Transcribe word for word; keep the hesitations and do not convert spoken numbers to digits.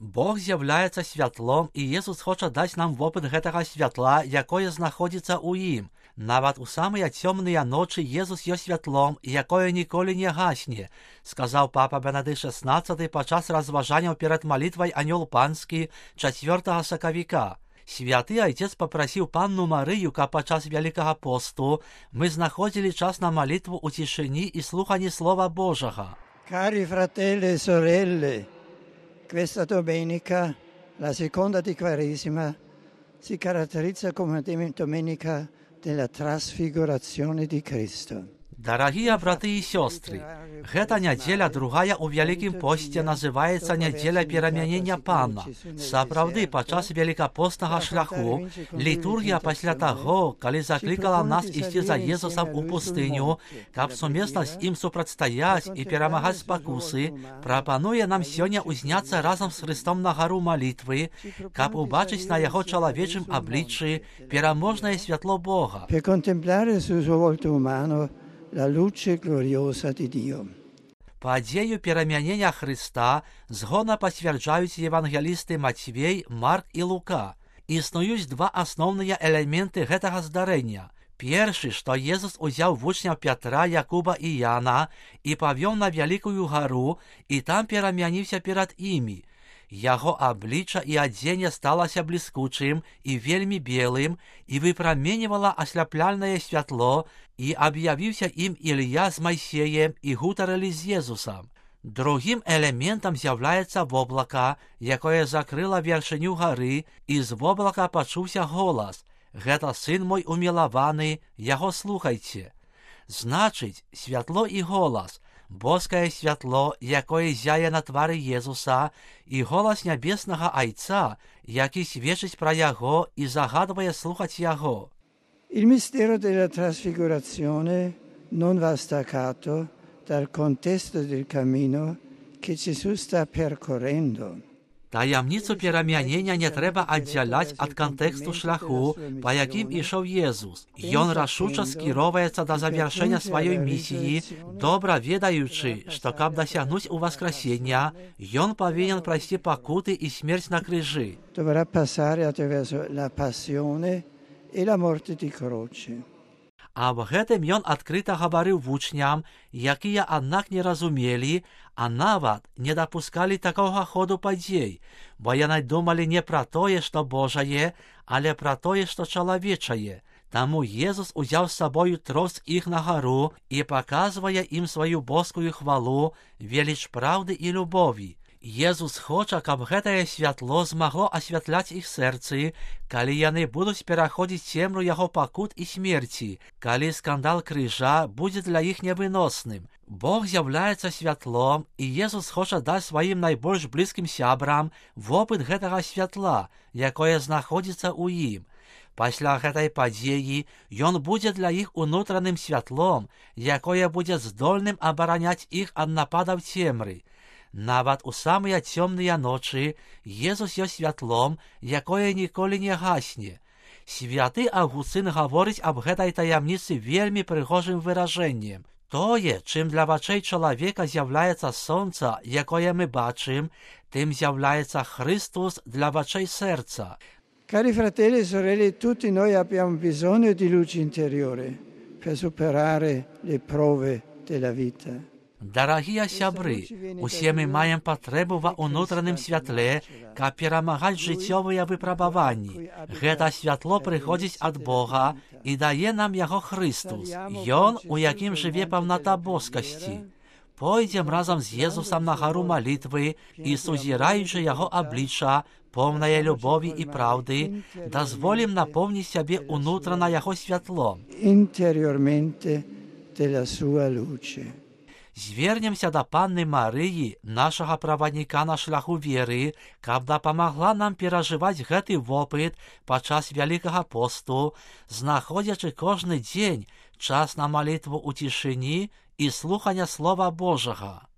Бог з'являецца святлом, і Jesús хоча даць нам вопыт гэтага святла, якое знаходзіцца ў ім. Нават у самыя цёмныя ночы Jesús ёсць святлом, якое ніколі не гасне, сказаў папа Бенедыкт шаснаццаты падчас разважанняў перад малітвай Анёл Панскі чацвёртага сакавіка. Святы Айцец папрасіў Панну Марыю, каб падчас Вялікага посту мы знаходзілі час на малітву ў цішыні і слуханні Слова Божага. Cari fratelli e sorelle, questa domenica, la seconda di Quaresima, si caratterizza come domenica della trasfigurazione di Cristo. Дарагія браты і сёстры, гэта нядзеля другая ў Вялікім посце называецца нядзеля перамянення Пана. Сапраўды, падчас велікапостнага шляху літургія пасля таго, калі заклікала нас ісці за Езусам у пустыню, каб сумесна з ім супрацьстаяць і перамагаць спакусы, прапануе нам сёння ўзняцца разам з Хрыстом на гару малітвы, каб убачыць на яго чалавечым абліччы пераможнае святло Бога. Per contemplare sul suo volto umano la luce gloriosa di Dio. Падзею перамянення Хрыста згодна пацвярджаюць евангелісты Мацвей, Марк і Лука. Існуюць два асноўныя элементы гэтага здарэння. Першы, што Езус узяў вучняў Пятра, Якуба і Яна і павёў на вялікую гару, і там перамяніўся перад імі. Яго аблічча і адзенне сталася бліскучым і вельмі белым і выпраменьвала асляпляльнае святло, і аб'явіўся ім Ілля з Майсеем і гутарылі з Езусам. Другім элементам з'яўляецца воблака, якое закрыла вяршыню гары, і з воблака пачуўся голас: «Гэта сын мой умілаваны, яго слухайце». Значыць, святло і голас, боскае святло, якое зяе на твары Езуса, і голас нябеснага Айца, які сведчыць пра яго і загадвае слухаць яго. Il mistero della trasfigurazione non va staccato dal contesto del cammino che Gesù sta percorrendo. Таямніцу перамянення не трэба аддзяляць ад кантэксту шляху, па якім ішоў Езус. Ён рашуча скіроўваецца да завяршэння сваёй місіі, добра ведаючы, што каб дасягнуць уваскрасення, ён павінен прайсці пакуты і смерць на крыжы. Dovrà passare attraverso la passione e la morte di croce. Аб гэтым ён адкрыта гаварыў вучням, якія аднак не разумелі, а нават не дапускалі такога ходу падзей, бо яны думалі не пра тое, што Божае, але пра тое, што чалавечае. Таму Езус узяў з сабою трос іх на гару і паказвае ім сваю боскую хвалу, веліч праўды і любові. Езус хоча, каб гэтае святло змагло асвятляць іх сэрцы, калі яны будуць пераходзіць цемру яго пакут і смерці, калі скандал крыжа будзе для іх невыносным. Бог з'яўляецца святлом, і Езус хоча даць сваім найбольш блізкім сябрам вопыт гэтага святла, якое знаходзіцца ў ім. Пасля гэтай падзеі ён будзе для іх унутраным святлом, якое будзе здольным абараняць іх ад нападаў цемры. Нават у самыя цёмныя ночы Езус ёсць святлом, якое ніколі не гасне. Святы Аўгусцын гаворыць аб гэтай таямніцы вельмі прыгожым выражэннем. Тое, чым для вачэй чалавека з'яўляецца сонца, якое мы бачым, тым з'яўляецца Христос для вачэй сэрца. Cari fratelli e sorelle, tutti noi abbiamo bisogno di luce interiore per superare le prove della vita. Дарагія сябры, усе мы маем патрэбу ва ўнутраным святле, каб перамагаць жыццёвыя выпрабаванні. Гэта святло прыходзіць ад Бога і дае нам яго Христус. Ён, у якім жыве паўната боскасці. Пойдзем разам з Езусам на гару малітвы і, сузіраючы яго аблічча, поўнае любові і праўды, дазволім напоўніць сябе ўнутрана яго святлом. Interiormente della sua luce. Звернемся да Панны Марыі, нашага правадніка на шляху веры, каб дапамагла нам перажываць гэты вопыт падчас Вялікага посту, знаходзячы кожны дзень час на малітву ў цішыні і слухання Слова Божага.